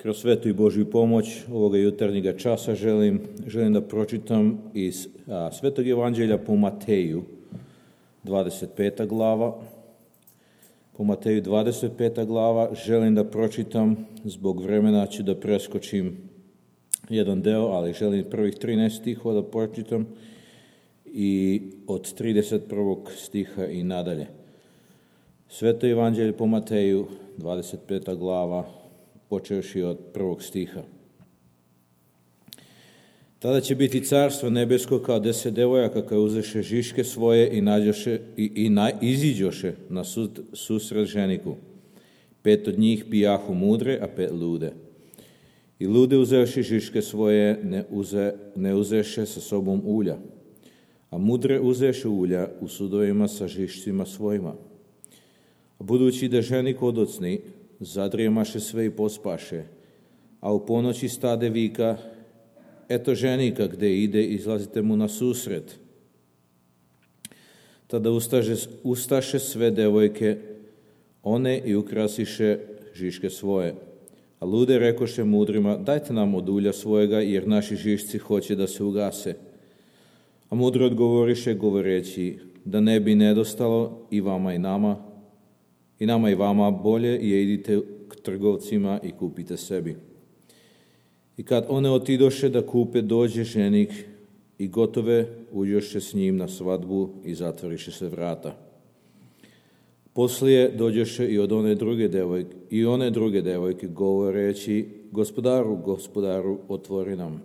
Kroz svetu i Božju pomoć ovoga jutarnjega časa želim da pročitam iz Svetog evanđelja po Mateju, 25. glava. Po Mateju 25. glava želim da pročitam, zbog vremena ću da preskočim jedan deo, ali želim prvih 13 stihova da pročitam i od 31. stiha i nadalje. Sveto evanđelje po Mateju, 25. glava, počevši od 1. stiha. Tada će biti carstvo nebesko kao 10 devojaka koje uzeše žiške svoje i iziđoše na susret ženiku. 5 od njih bijahu mudre, a 5 lude. I lude uzevši žiške svoje ne uzeše sa sobom ulja, a mudre uzeše ulja u sudovima sa žišcima svojima. A budući da ženik odocni, zadrijemaše sve i pospaše, a u ponoći stade vika: eto ženika gde ide, izlazite mu na susret. Tada ustaše sve devojke, one i ukrasiše žiške svoje. A lude rekoše mudrima: dajte nam od ulja svojega, jer naši žišci hoće da se ugase. A mudri odgovoriše govoreći: da ne bi nedostalo i vama i nama, i vama, bolje je idite k trgovcima i kupite sebi. I kad one otidoše da kupe, dođe ženik i gotove uđoše s njim na svadbu i zatvoriše se vrata. Poslije dođoše i one druge devojke govoreći: gospodaru, otvori nam.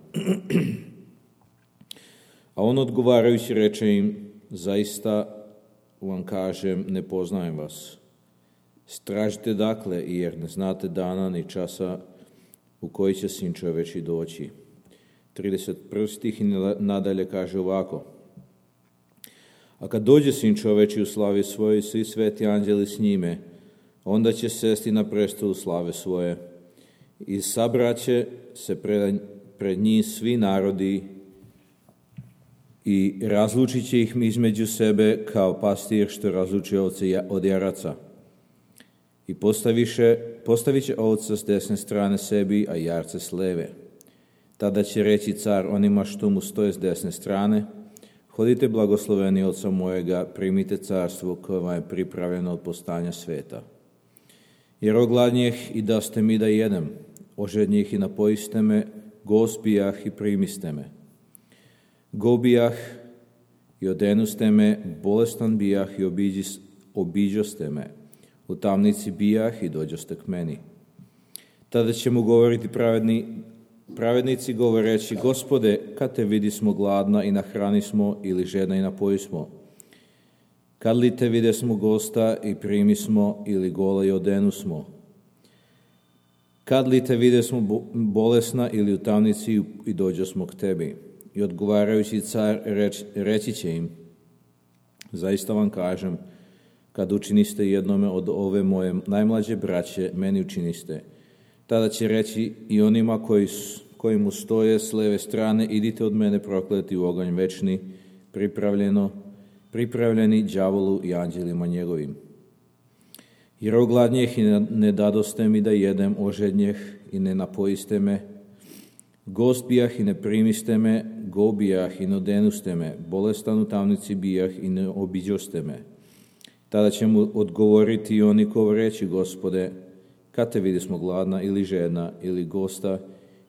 A on odgovarajući reče im: zaista vam kažem, ne poznajem vas. Stražite dakle, jer ne znate dana ni časa u koji će Sin čoveči doći. 31. stih i nadalje kaže ovako: a kad dođe Sin čoveči u slavi svojoj i svi sveti anđeli s njime, onda će sesti na prestolu slave svoje i sabraće se pred njih svi narodi i razlučit će ih između sebe kao pastir što razluči ovce od jaraca. I postavit će ovca s desne strane sebi, a jarce s leve. Tada će reći car onima što mu stoje s desne strane: hodite blagosloveni Oca mojega, primite carstvo koje vam je pripravljeno od postanja sveta. Jer ogladnjeh i daste mi da jedem, ožednjih i napojiste me, gost bijah i primiste me. Go bijah i odenuste me, bolestan bijah i obiđoste me. U tamnici bijah i dođoste k meni. Tada će mu govoriti pravednici govoreći: Gospode, kad te vidismo gladna i nahranismo, ili žedna i napojismo? Kad li te videsmo gosta i primismo, ili gola i odenusmo? Kad li te videsmo bolesna ili u tamnici i dođosmo k tebi? I odgovarajući car reći će im: zaista vam kažem, kad učiniste jednome od ove moje najmlađe braće, meni učiniste. Tada će reći i onima koji mu stoje s leve strane: idite od mene prokleti u oganj večni, pripravljeni đavolu i anđelima njegovim. Jer ogladnjeh i ne dadoste mi da jedem, ožednjeh i ne napojiste me, gost bijah i ne primiste me, go bijah i ne odenuste me, bolestan u tamnici bijah i ne obiđoste me. Tada će mu odgovoriti i oni govoreći: Gospode, kad te vidismo gladna ili žedna ili gosta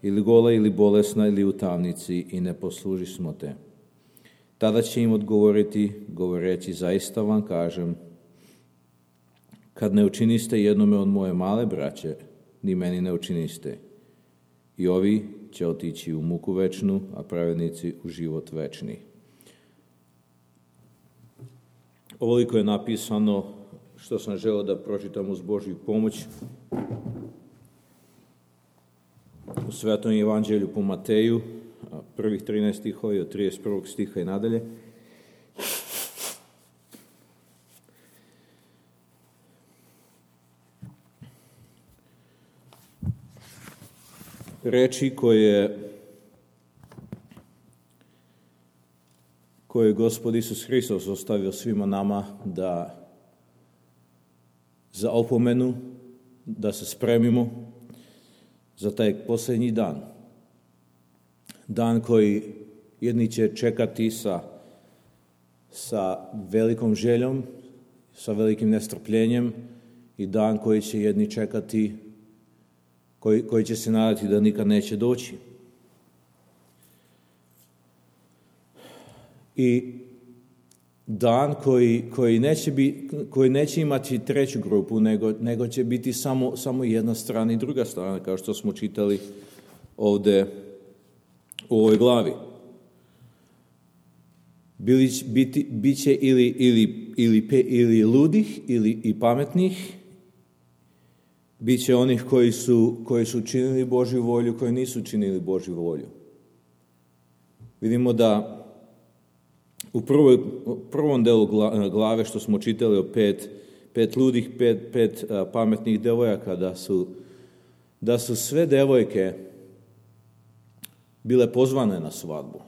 ili gola ili bolesna ili u tamnici i ne poslužismo te? Tada će im odgovoriti govoreći: zaista vam kažem, kad ne učiniste jednome od moje male braće, ni meni ne učiniste. I ovi će otići u muku večnu, a pravednici u život večni. Ovoliko je napisano što sam želeo da pročitam uz Božju pomoć u Svetom evanđelju po Mateju, prvih 13 stihova od 31. stiha i nadalje. Reči koje je Gospod Isus Hristos ostavio svima nama za opomenu, da se spremimo za taj posljednji dan. Dan koji jedni će čekati sa velikom željom, sa velikim nestrpljenjem, i dan koji će jedni čekati, koji će se nadati da nikad neće doći. I dan koji neće imati treću grupu, nego će biti samo jedna strana i druga strana, kao što smo čitali ovdje u ovoj glavi. Biće ili ludih ili pametnih, bit će onih koji su činili Božju volju, koji nisu činili Božju volju. Vidimo da u prvom delu glave što smo čitali o pet ludih, pet pametnih devojaka, da su sve devojke bile pozvane na svadbu.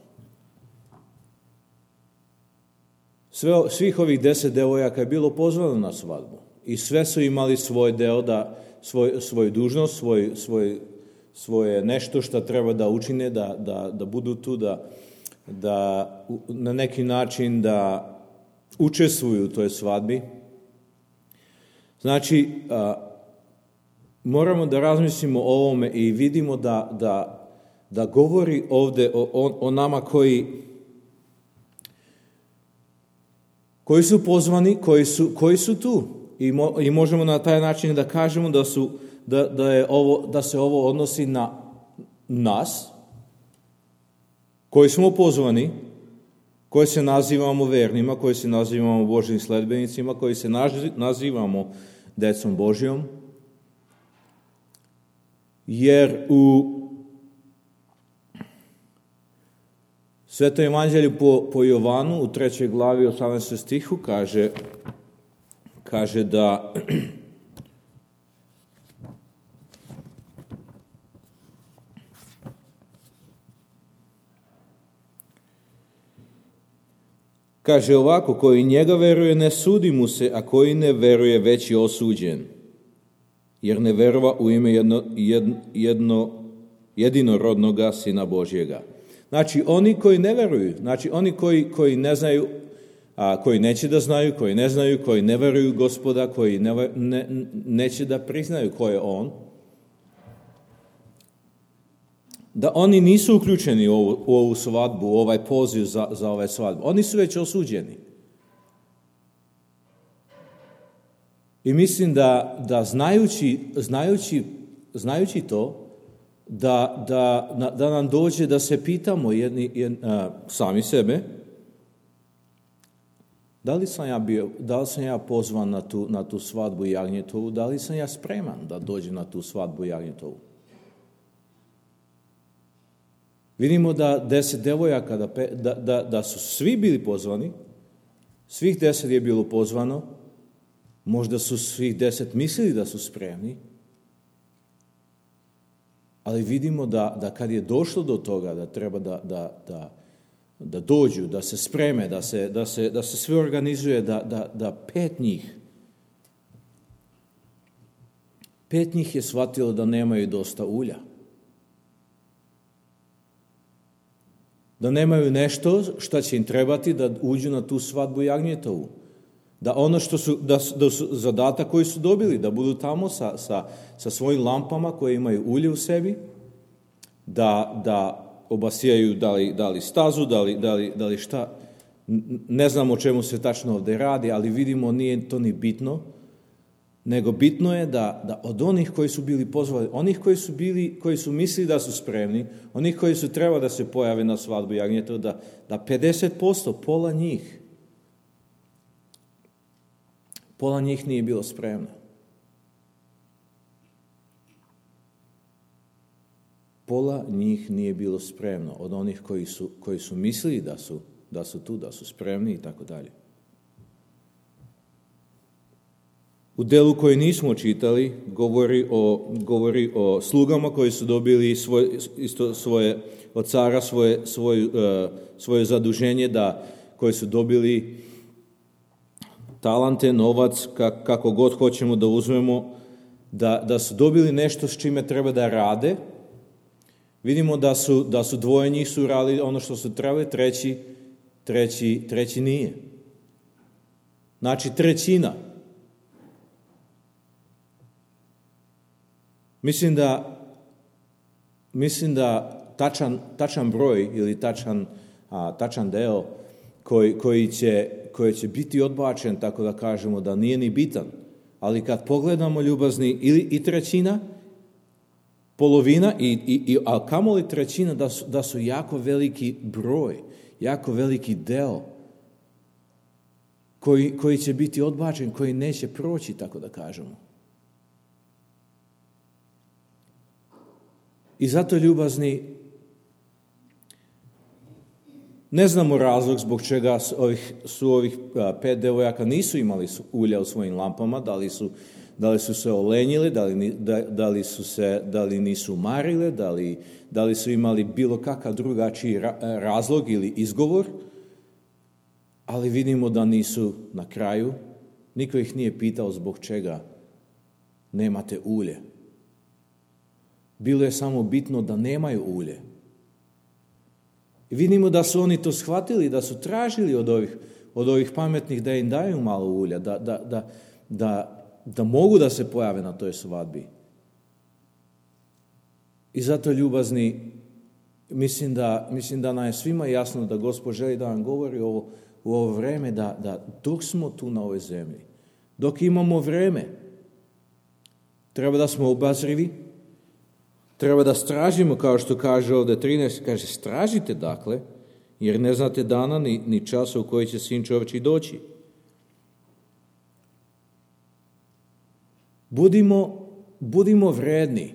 Svih ovih 10 devojaka je bilo pozvano na svadbu. I sve su imali svoj deo, svoju dužnost, svoje nešto što treba da učine, da budu tu, da na neki način da učestvuju u toj svadbi. Znači, moramo da razmislimo o ovome i vidimo da govori ovdje o nama koji su pozvani, koji su tu. I možemo na taj način da kažemo da se ovo odnosi na nas, koji smo pozvani, koji se nazivamo vernima, koji se nazivamo Božjim sledbenicima, koji se nazivamo decom Božjom. Jer u Svetom evanđelju po Jovanu u 3. glavi 18. stihu kaže da kaže ovako: koji njega veruje ne sudi mu se, a koji ne veruje već je osuđen, jer ne verova u ime jedinorodnoga Sina Božjega. Znači, oni koji ne veruju, znači oni koji ne znaju, koji neće da znaju, koji ne znaju, koji ne veruju Gospoda, koji neće da priznaju ko je On, da oni nisu uključeni u ovu svadbu, u ovaj poziv za ovaj svadbu. Oni su već osuđeni. I mislim da znajući to, da nam dođe da se pitamo sami sebe, da li sam ja pozvan na tu svadbu jagnjetovu, da li sam ja spreman da dođem na tu svadbu jagnjetovu. Vidimo da 10 devojaka, da su svi bili pozvani, svih 10 je bilo pozvano, možda su svih 10 mislili da su spremni, ali vidimo da kad je došlo do toga da treba da dođu, da se spreme, da se sve organizuje, da 5 njih je shvatilo da nemaju dosta ulja. Da nemaju nešto što će im trebati da uđu na tu svadbu jagnjetovu. Da ono da su zadatak koji su dobili, da budu tamo sa svojim lampama koje imaju ulje u sebi, da obasijaju da li stazu, da li šta. Ne znam o čemu se tačno ovdje radi, ali vidimo nije to ni bitno, nego bitno je da od onih koji su bili pozvani, onih koji su mislili da su spremni, onih koji su trebali da se pojave na svadbu jagnjetova, da 50%, pola njih nije bilo spremno. Pola njih nije bilo spremno od onih koji su mislili da su tu, da su spremni i tako dalje. U delu koji nismo čitali govori o slugama koji su dobili svoje od cara svoje zaduženje, koji su dobili talante, novac, kako god hoćemo da uzmemo, da su dobili nešto s čime treba da rade. Vidimo da su dvoje njih su radili ono što su trebali, treći nije. Znači trećina. Mislim da tačan broj ili tačan deo koji će biti odbačen, tako da kažemo da nije ni bitan. Ali kad pogledamo, ljubazni, ili i trećina, polovina, a kamoli trećina, da su jako veliki broj, jako veliki deo koji će biti odbačen, koji neće proći, tako da kažemo. I zato, ljubazni, ne znamo razlog zbog čega su ovih 5 devojaka nisu imali ulja u svojim lampama, da li su se olenjile, da li nisu marile, da li su imali bilo kakav drugačiji razlog ili izgovor, ali vidimo da nisu na kraju. Niko ih nije pitao zbog čega nemate ulje. Bilo je samo bitno da nemaju ulje. I vidimo da su oni to shvatili, da su tražili od ovih pametnih da im daju malo ulja, da mogu da se pojave na toj svadbi. I zato, ljubazni, mislim da nam je svima jasno da Gospod želi da nam govori u ovo vreme, da dok smo tu na ovoj zemlji, dok imamo vreme, treba da smo obazrivi, treba da stražimo, kao što kaže ovdje 13, kaže stražite dakle, jer ne znate dana ni časa u koji će Sin čovječji doći. Budimo vredni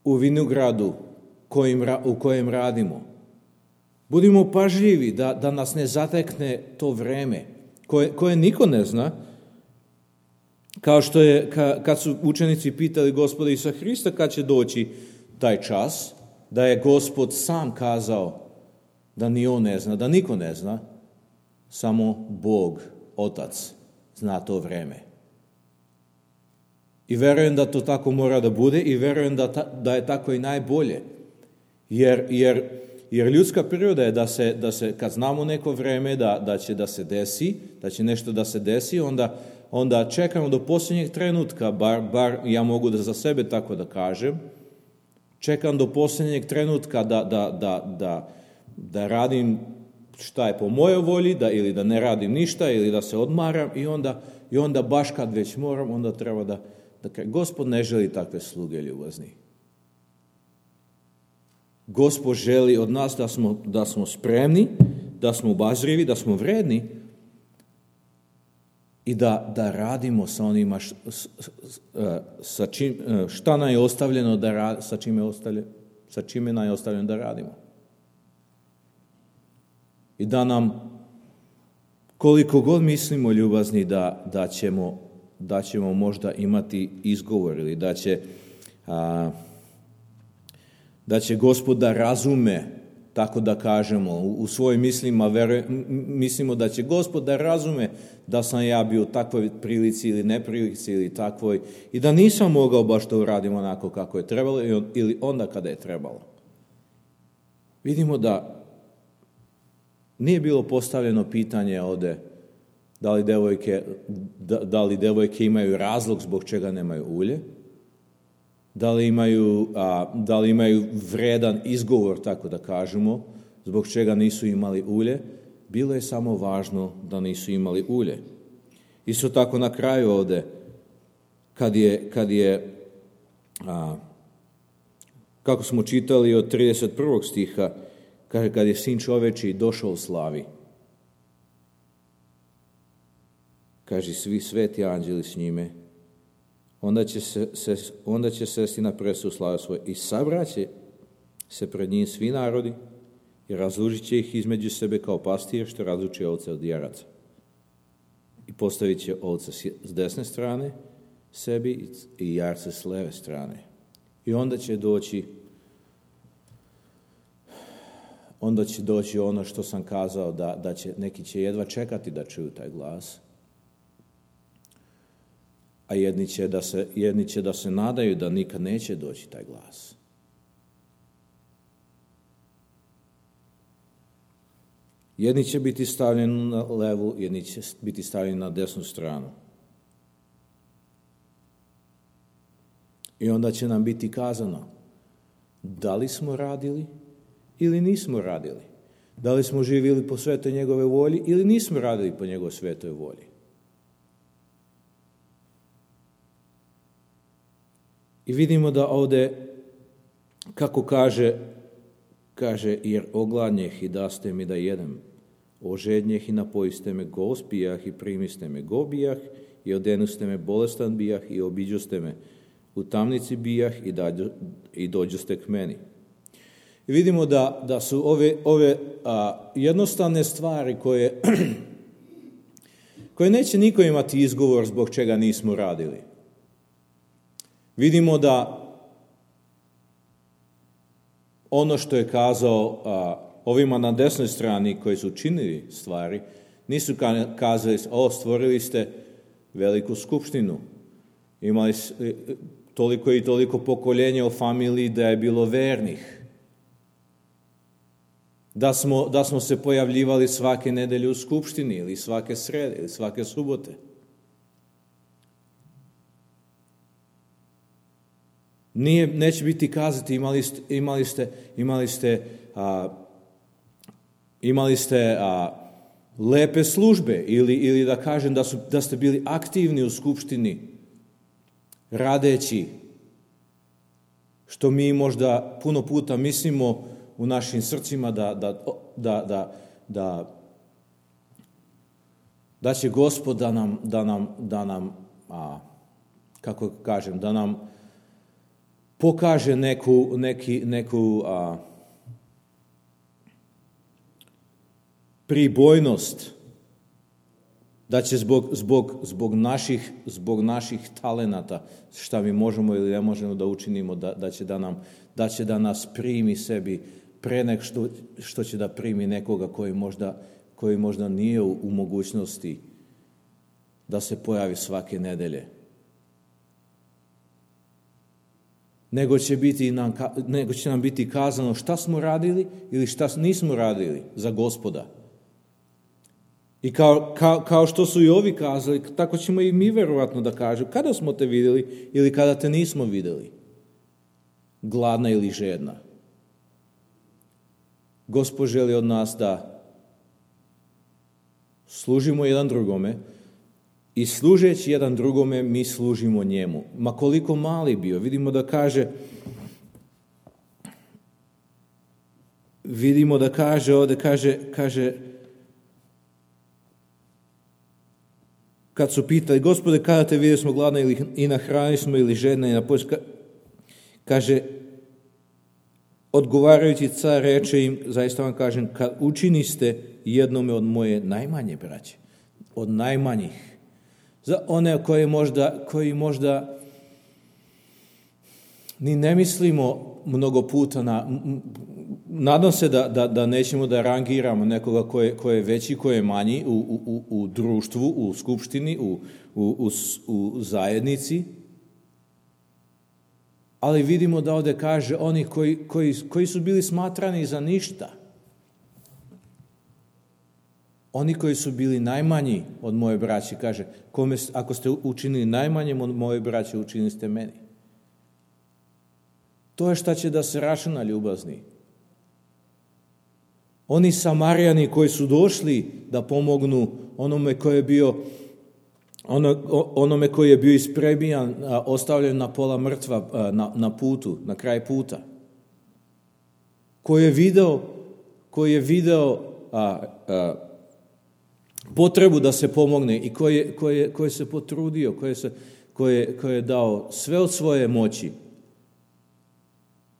u vinogradu u kojem radimo. Budimo pažljivi da nas ne zatekne to vreme koje niko ne zna. Kao što je, kad su učenici pitali Gospoda Isusa Hrista kad će doći taj čas, da je Gospod sam kazao da ni on ne zna, da niko ne zna, samo Bog, Otac, zna to vreme. I verujem da to tako mora da bude i verujem da je tako i najbolje. Jer ljudska priroda je da se kad znamo neko vreme da će da se desi, da će nešto da se desi, onda čekamo do posljednjeg trenutka, bar ja mogu da za sebe tako da kažem, čekam do posljednjeg trenutka da radim šta je po mojoj volji, ili da ne radim ništa, ili da se odmaram i onda baš kad već moram, onda treba da Gospod ne želi takve sluge, ljubazni. Gospod želi od nas da smo spremni, da smo obazrivi, da smo vredni i da radimo sa onima šta nam je ostavljeno sa čime nam je ostavljeno da radimo. I da nam, koliko god mislimo, ljubazni, da ćemo možda imati izgovor ili da će Gospod da razume, tako da kažemo, u svojim mislima mislimo da će Gospod da razume da sam ja bio u takvoj prilici ili neprilici ili takvoj i da nisam mogao baš to uradim onako kako je trebalo ili onda kada je trebalo. Vidimo da nije bilo postavljeno pitanje ovdje da li devojke imaju razlog zbog čega nemaju ulje, da li imaju vredan izgovor, tako da kažemo, zbog čega nisu imali ulje. Bilo je samo važno da nisu imali ulje. Isto tako na kraju ovdje, kad je kako smo čitali od 31. stiha, kaže kad je Sin čovječji došao u slavi, kaže svi sveti anđeli s njime, onda će sesti na presu slave svoje i sabraće se pred njim svi narodi i razlučit će ih između sebe kao pastir što razluči ovce od jaraca. I postavit će ovce s desne strane sebi i jarce s leve strane. I onda će doći ono što sam kazao, da će, neki će jedva čekati da čuju taj glas. a jedni će da se nadaju da nikad neće doći taj glas. Jedni će biti stavljeni na levu, jedni će biti stavljeni na desnu stranu. I onda će nam biti kazano da li smo radili ili nismo radili. Da li smo živjeli po svetoj njegove volji ili nismo radili po njegovoj svetoj volji. I vidimo da ovdje, kako kaže, jer ogladnjeh i daste mi da jedem, ožednjeh i napojiste me, go spijah i primiste me, go bijah i odenuste me, bolestan bijah i obiđuste me, u tamnici bijah i dođuste k meni. I vidimo da su ove jednostavne stvari koje neće niko imati izgovor zbog čega nismo radili. Vidimo da ono što je kazao ovima na desnoj strani koji su činili stvari, nisu kazali, stvorili ste veliku skupštinu, imali toliko i toliko pokoljenja u familiji da je bilo vernih, da smo se pojavljivali svake nedelje u skupštini ili svake srede ili svake subote. Neće biti kazati imali ste lepe službe ili da kažem da ste bili aktivni u skupštini radeći, što mi možda puno puta mislimo u našim srcima da će Gospod da nam kako kažem, da nam pokaže neku pribojnost, da će zbog naših talenata, šta mi možemo ili ne možemo da učinimo, da će da nas primi sebi pre nek što će da primi nekoga koji možda nije u mogućnosti da se pojavi svake nedelje. Nego će nam biti kazano šta smo radili ili šta nismo radili za Gospoda. I kao što su i ovi kazali, tako ćemo i mi verovatno da kažemo kada smo te vidjeli ili kada te nismo vidjeli, gladna ili žedna. Gospod želi od nas da služimo jedan drugome i služeći jedan drugome mi služimo njemu. Ma koliko mali bio, vidimo da kaže ovdje, kaže kad su pitali, Gospode, kada te vidjeli smo gladna i nahranili smo ili žedna i napojili, kaže, odgovarajući car reče im, zaista vam kažem, kad učiniste jednome od moje najmanje braće, od najmanjih, za one koji možda ni ne mislimo mnogo puta nadam se da nećemo da rangiramo nekoga ko je veći, ko je manji u društvu, u skupštini, u zajednici, ali vidimo da ovdje kaže oni koji su bili smatrani za ništa. Oni koji su bili najmanji od moje braće, kaže, ako ste učinili najmanjem od moje braće, učinili ste meni. To je šta će da se računa, ljubazni. Oni Samarijani koji su došli da pomognu onome koji je bio isprebijan, ostavljen na pola mrtva na putu, na kraj puta. Koji je video potrebu da se pomogne i koji se potrudio, koji je dao sve od svoje moći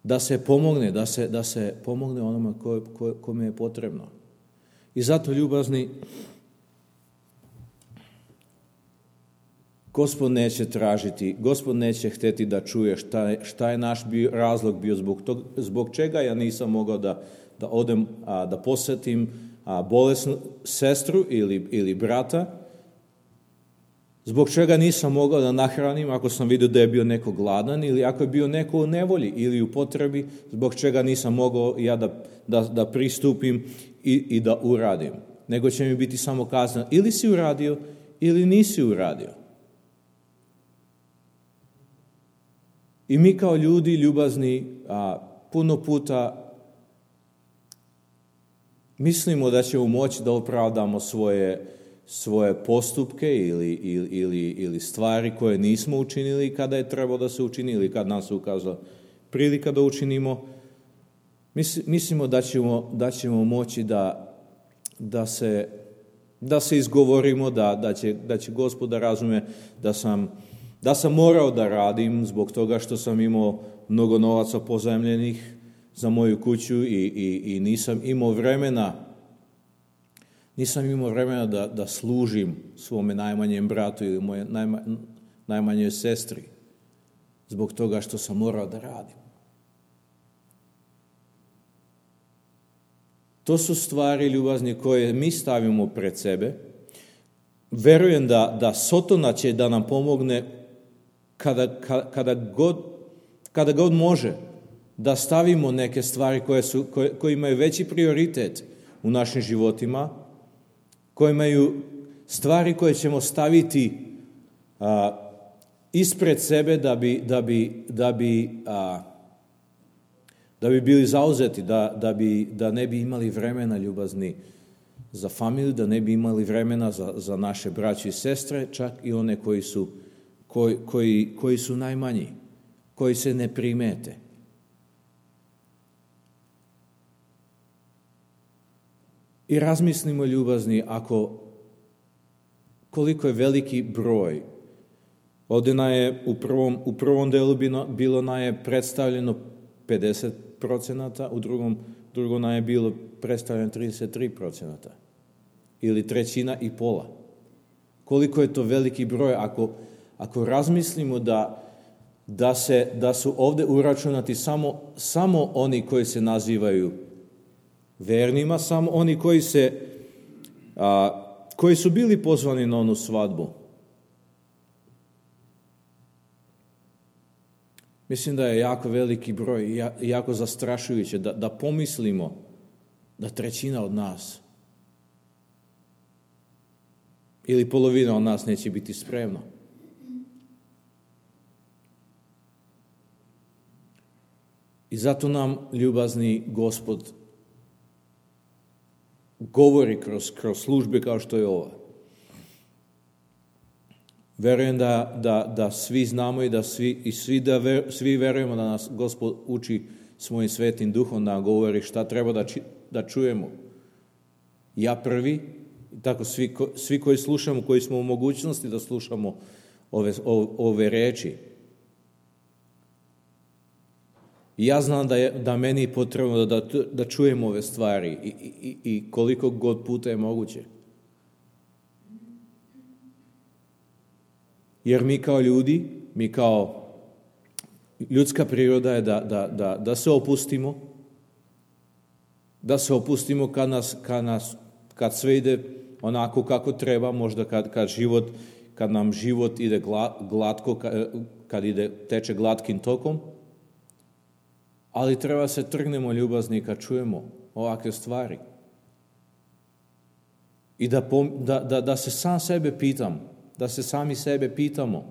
da se pomogne onome kome je potrebno. I zato, ljubazni, Gospod neće tražiti, Gospod neće hteti da čuje šta je naš razlog bio zbog čega ja nisam mogao da odem da posjetim bolesnu sestru ili brata, Zbog čega nisam mogao da nahranim ako sam vidio da je bio neko gladan ili ako je bio neko u nevolji ili u potrebi, zbog čega nisam mogao ja da pristupim i da uradim. Nego će mi biti samo kazano ili si uradio ili nisi uradio. I mi kao ljudi ljubazni puno puta mislimo da ćemo moći da opravdamo svoje postupke ili stvari koje nismo učinili kada je trebalo da se učini ili kad nam se ukazala prilika da učinimo. Mislimo da ćemo moći da se izgovorimo, da će Gospod da razume da sam morao da radim zbog toga što sam imao mnogo novaca pozajmljenih za moju kuću i nisam imao vremena da služim svome najmanjem bratu ili moje najmanjoj sestri zbog toga što sam morao da radim. To su stvari ljubazni koje mi stavimo pred sebe. Verujem da Sotona će da nam pomogne kada god može da stavimo neke stvari koje imaju veći prioritet u našim životima, koje imaju stvari koje ćemo staviti ispred sebe da bi bili zauzeti, da ne bi imali vremena ljubazni za familiju, da ne bi imali vremena za naše braće i sestre, čak i one koji su najmanji, koji se ne primete. I razmislimo ljubazni koliko je veliki broj. Ovdje u prvom delu bilo nam je predstavljeno 50%, u drugom nam je bilo predstavljeno 33%. Ili trećina i pola. Koliko je to veliki broj ako razmislimo da su ovdje uračunati samo oni koji se nazivaju vernima, samo oni koji su bili pozvani na onu svadbu. Mislim da je jako veliki broj i jako zastrašujuće da pomislimo da trećina od nas ili polovina od nas neće biti spremna. I zato nam ljubazni Gospod govori kroz službe kao što je ova. Verujem da svi znamo i svi verujemo da nas Gospod uči svojim svetim duhom da govori šta treba da čujemo. Ja prvi, tako svi koji slušamo, koji smo u mogućnosti da slušamo ove reči. I ja znam da meni je potrebno da čujem ove stvari i koliko god puta je moguće. Jer mi kao ljudi, ljudska priroda je da se opustimo, kad sve ide onako kako treba, možda kad nam život ide glatko, kad teče glatkim tokom, ali treba se trgnemo ljubazni kad čujemo ovakve stvari. I da se sam sebe pitam, da se sami sebe pitamo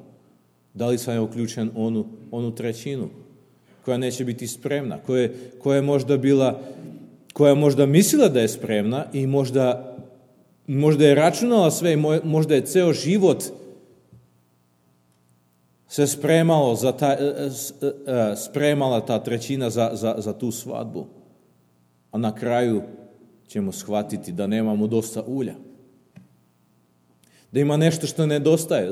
da li sam je uključen onu trećinu koja neće biti spremna, koja je možda mislila da je spremna i možda je računala sve i možda je ceo život se spremala ta trećina za tu svadbu. A na kraju ćemo shvatiti da nemamo dosta ulja. Da ima nešto što nedostaje,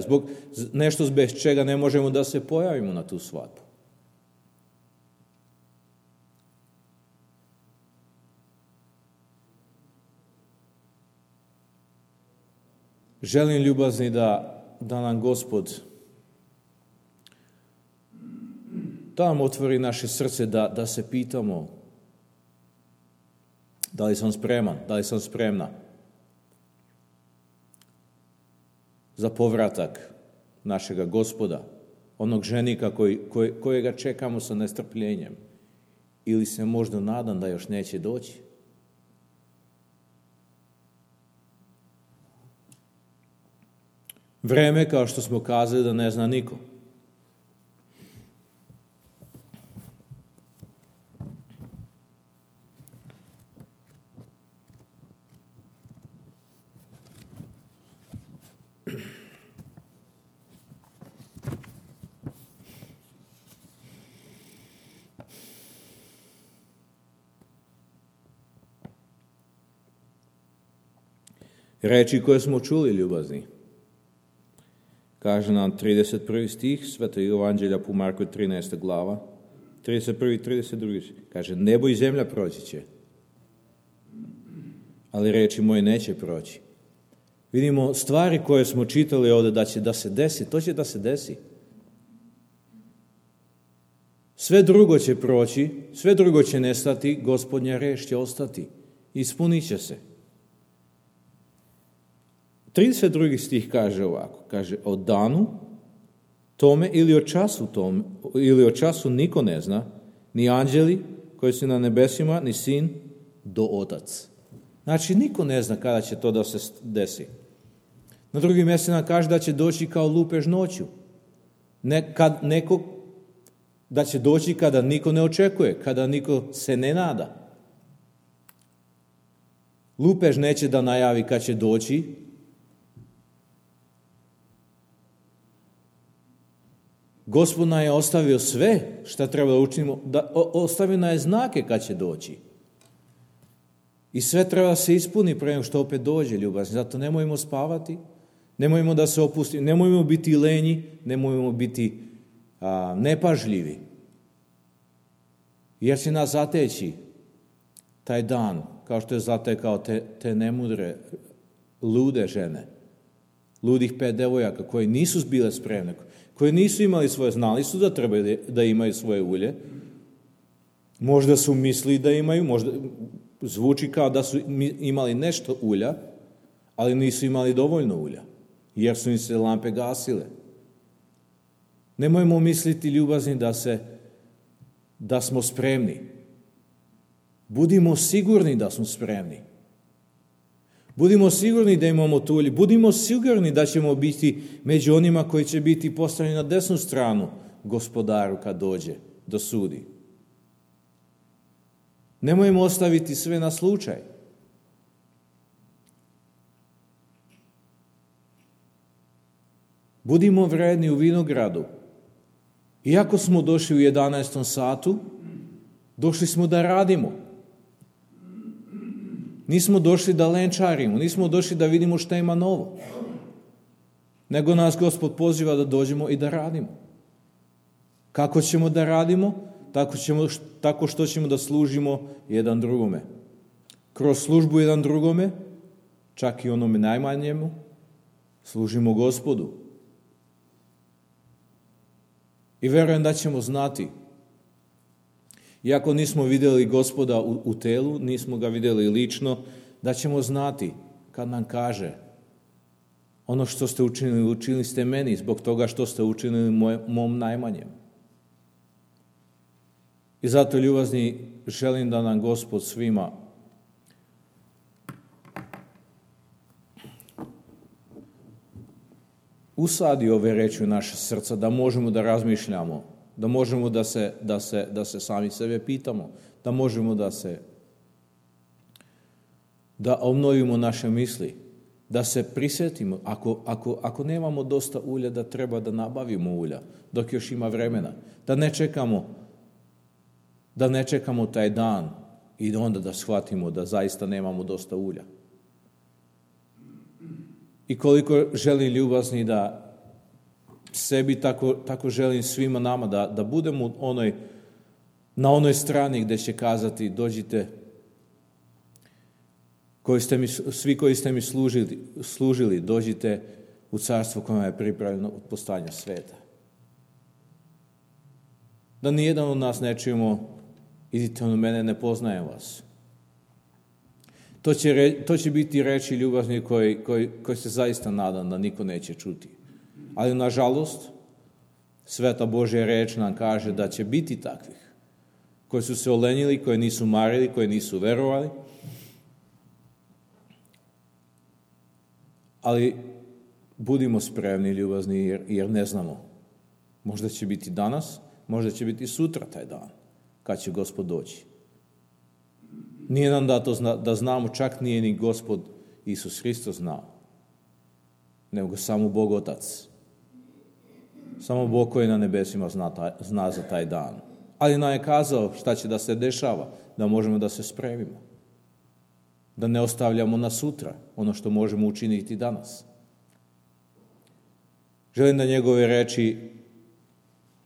nešto bez čega ne možemo da se pojavimo na tu svadbu. Želim ljubazni da nam Gospod da nam otvori naše srce da se pitamo da li sam spreman, da li sam spremna za povratak našega Gospoda, onog ženika kojega čekamo sa nestrpljenjem, ili se možda nadam da još neće doći. Vreme, kao što smo kazali, da ne zna niko. Reči koje smo čuli, ljubazni. Kaže nam 31. stih Svetog Evanđelja po Marku 13. glava, 31. i 32. Kaže, nebo i zemlja proći će, ali reči moje neće proći. Vidimo stvari koje smo čitali ovdje da će da se desi, to će da se desi. Sve drugo će proći, sve drugo će nestati, Gospodnja reč će ostati, ispunit će se. 32. stih kaže ovako, kaže, o danu tome ili o času niko ne zna, ni anđeli koji su na nebesima, ni sin, do otac. Znači, niko ne zna kada će to da se desi. Na drugim mjestima kaže da će doći kao lupež noću. Da će doći kada niko ne očekuje, kada niko se ne nada. Lupež neće da najavi kad će doći, Gospod nam je ostavio sve što treba da učinimo, ostavio nam je znake kad će doći. I sve treba da se ispuni pre nego što opet dođe, ljubazni. Zato nemojmo spavati, nemojmo da se opustimo, nemojmo biti lenji, nemojmo biti nepažljivi. Jer će nas zateći taj dan, kao što je zatekao te nemudre, lude žene, ludih 5 devojaka koje nisu bile spremne, koje nisu imali svoje, znali su da trebaju da imaju svoje ulje. Možda su mislili da imaju, možda zvuči kao da su imali nešto ulja, ali nisu imali dovoljno ulja, jer su im se lampe gasile. Nemojmo misliti, ljubazni, da smo spremni. Budimo sigurni da smo spremni. Budimo sigurni da imamo tu ulje. Budimo sigurni da ćemo biti među onima koji će biti postavljeni na desnu stranu Gospodaru kad dođe do sudi. Nemojmo ostaviti sve na slučaj. Budimo vredni u vinogradu. Iako smo došli u 11. satu, došli smo da radimo. Nismo došli da lenčarimo, nismo došli da vidimo šta ima novo. Nego nas Gospod poziva da dođemo i da radimo. Kako ćemo da radimo? Tako što ćemo da služimo jedan drugome. Kroz službu jedan drugome, čak i onome najmanjemu, služimo Gospodu. I verujem da ćemo znati, iako nismo vidjeli Gospoda u telu, nismo ga vidjeli lično, da ćemo znati kad nam kaže ono što ste učinili, učinili ste meni zbog toga što ste učinili mom najmanjem. I zato, ljubazni, želim da nam Gospod svima usadi ove reči u naše srca, da možemo da razmišljamo, da možemo da se sami sebe pitamo, da možemo da obnovimo naše misli, da se prisjetimo, ako nemamo dosta ulja, da treba da nabavimo ulja, dok još ima vremena, da ne čekamo taj dan i onda da shvatimo da zaista nemamo dosta ulja. I koliko želim, ljubazni, da sebi tako želim svima nama da budemo na onoj strani gdje će kazati: dođite, svi koji ste mi služili, dođite u carstvo koje je pripravljeno od postojanja sveta. Da nijedan od nas ne čujemo: idite od mene, ne poznajem vas. To će biti reči ljubazni koji se zaista nadam da niko neće čuti. Ali nažalost, Sveta Božja reč nam kaže da će biti takvih, koji su se olenjili, koji nisu marili, koji nisu verovali. Ali budimo spremni, ljubazni, jer ne znamo. Možda će biti danas, možda će biti sutra taj dan, kad će Gospod doći. Nije nam dato da znamo, čak nije ni Gospod Isus Hristos znao, nego samo Bog Otac. Samo Bog koji na nebesima zna za taj dan. Ali nam je kazao šta će da se dešava, da možemo da se spremimo. Da ne ostavljamo na sutra ono što možemo učiniti danas. Želim da njegove reči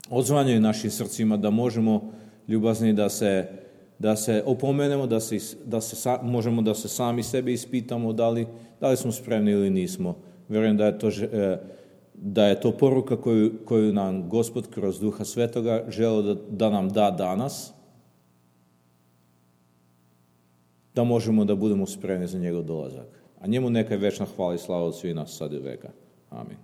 odzvanjaju našim srcima, da možemo, ljubazni, da se opomenemo, možemo da se sami sebe ispitamo da li smo spremni ili nismo. Vjerujem da je to poruka koju nam Gospod kroz Duha Svetoga želeo da nam da danas, da možemo da budemo spremni za njegov dolazak. A njemu neka je večna hvala i slava od svih nas sad i veka. Amin.